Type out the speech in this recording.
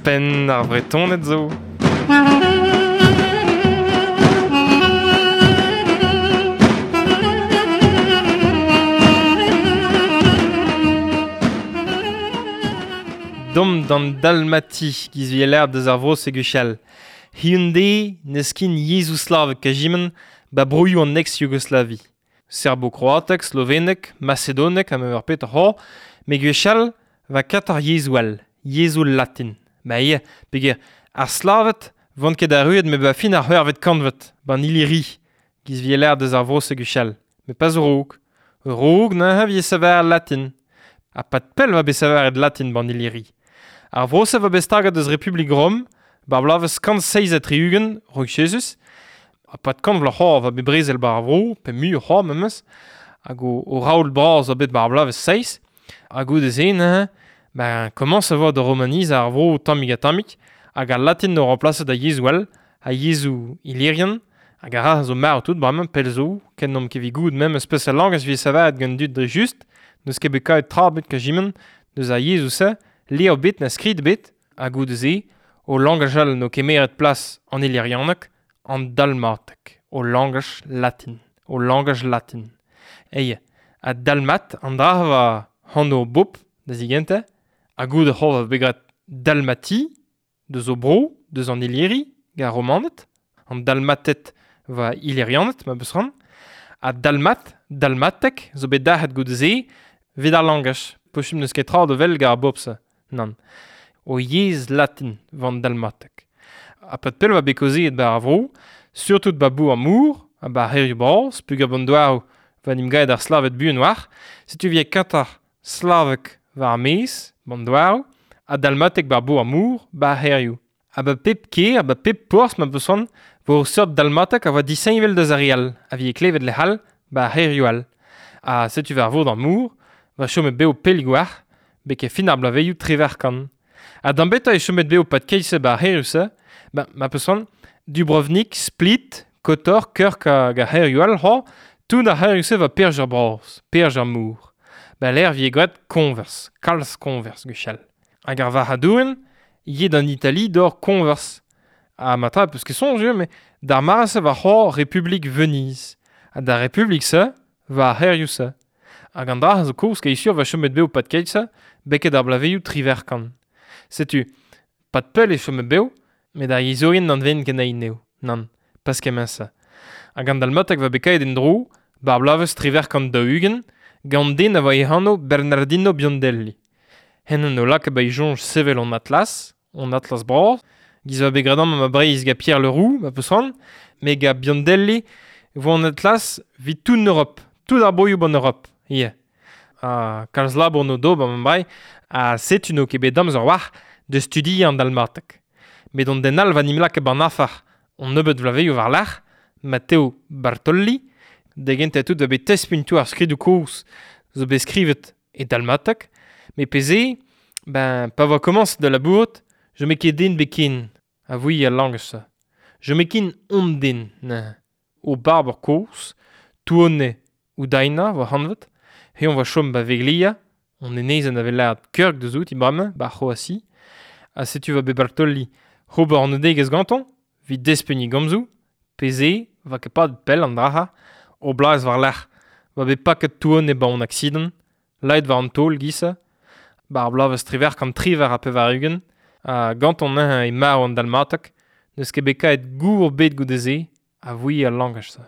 Penn ar Vretoned zo. Dom d'an Dalmati giz vi l'air deus ar vro se gwechall. Hyundai n'eus kin yezhoù slavek kajimen ba broioù an ex-Yougoslavi. Serbo-kroatek, slovenek, macedonek ha ma ur pet c'ho, me gwechall va kat ar yezhoù all, yezhoù latin. Ba ia, peger, ar slavet vont ket arruet me ba fin ar c'hwec'hvet kantved, ban Illyri, giz vi l'air deus ar vro se gwechall. Me pas raok. Raok neuze vi saver latin. Ha pat pell va bet saveret latin ban Illyri. Ar vro se va bet staget deus Republik Rom, bar blavez kant seiz ha tri-ugent, raok Jesus, ha pat kant vloaz c'hoar va bet brezel bar ar vro, pe mu c'hoar memes, hag o raoul bras a bet bar blavez seiz, hag goude se neuze, ben, komañs a vo da romaniz ar vro tammig ha tammig, hag al latin no remplaset da yezhoù all, ha yezhoù illyrian, hag ar ra zo marv tout bremañ pell zo, ken n'omp ket evit goût memes peseurt langaj vez savet gant dud dre just, n'eus ket bet kaet tra bet kajimen, deus ar yezhoù-se, levr bet na skrid bet, ha goude se, o langaj all no kemeret plas an illyrianeg, an dalmatek, o langaj latin, o langaj latin. Eie, a dalmat, an dra va hano bop, da zigente, ha goude c'ho va bet dalmati, deus o bro, deus an Illyri, ga romanet, an dalmatet va illyrianet, ma beus ran, ha dalmat, dalmatek, zo bet dac'het goude se, vid ar langaj, pochum n'eus ket tra de vel ga ar bop-se, nann. O yezh latin van dalmatek. Ha pat pell va bet kaozeet ba ar vro, surtout ba bou ar mour, ha ba c'hêrioù bras, pug an douaroù va n'im gaet ar slavet buan war, setu vi katar slavek war ar maez, ban douaroù, ha dalmatek ba bou ar mour, ba c'hêrioù. Ha ba pep kêr, ba pep porzh ma beus c'hoant, vo ur seurt dalmatek a voa disheñvel deus ar re all, a vi klevet lec'h all, ba c'hêrioù all. Ha setu war vod ar mour, va chomet bev pell gwar, beke fin ar blaveioù trever kan. Ha d'an beta e chomet bev pat keise ba c'hêrioù-se, ba ma peus c'hoant, Dubrovnik, Split, Kotor, Krk hag ar c'hêrioù all c'ho, tout ar c'hêrioù-se va perj ar bras, perj ar mour. Ba l'air vi gwad Converse, kalz Converse gwechall. Hag ar varc'hadourien, yet an Itali d'or Converse. Ha ma tra, peus ket soñj eo, mais d'ar mare-se va c'ho Republik Venise. Ha d'ar Republik-se, va ar c'hêrioù-se. Hag an dra zo koulz ket sur va chomet bev pat keit-se, beket ar blaveioù triverkan. Setu, pat pell e chomet bev, met ar yezhourien n'an ven ken eo, nann, pas kement-se. Hag an dalmatek va bet kaet en dro, bar blavez triverkan daou-ugent, gant den a voa e anv Bernardino Biondelli. Hen o laka ba e soñj sevel an atlas, an atlas bras, giz va bet graet amañ ma Breizh ga Pierre Leroux, ma peus c'hoant, met ga Biondelli vo an atlas vit tout en Europe, tout ar broioù ban Europe, ie. Ha kalz labour no do ba ma Breizh, ha setu n'o ket bet amzer war de studiañ an dalmatek. Met an den all va nim laka ban afar an nebeud vlaveioù war-lerc'h, Matteo Bartolli, da gentañ tout va bet tespuntoù ar skridoù kozh zo bet skrivet e dalmatek, met peze, ben, pa voa komañs da labourat, je me ket den bet ken, a voe al langaj-se. Je me ken on den, neuze. O barber kozh, Tuone Udaina voa hanvet, he on va chom ba Veglia, on enezenn a vez lâret Krk deus out, bremañ, ba C'hroatie. Ha setu va bet Bartolli ober an odegezh gantañ, vit despegniñ gomzoù, peze, va ket pad pell an dra-ha, o blaz war-lerc'h, va bet paket Tuone ba an aksident, laet war an taol giz-se, ba ar bloavezh triwec'h kant triwec'h ha pevar-ugent, ha gantañ neuze e marv an dalmatek, n'eus ket bet kaet gour bet goude-se, a voe al langaj-se.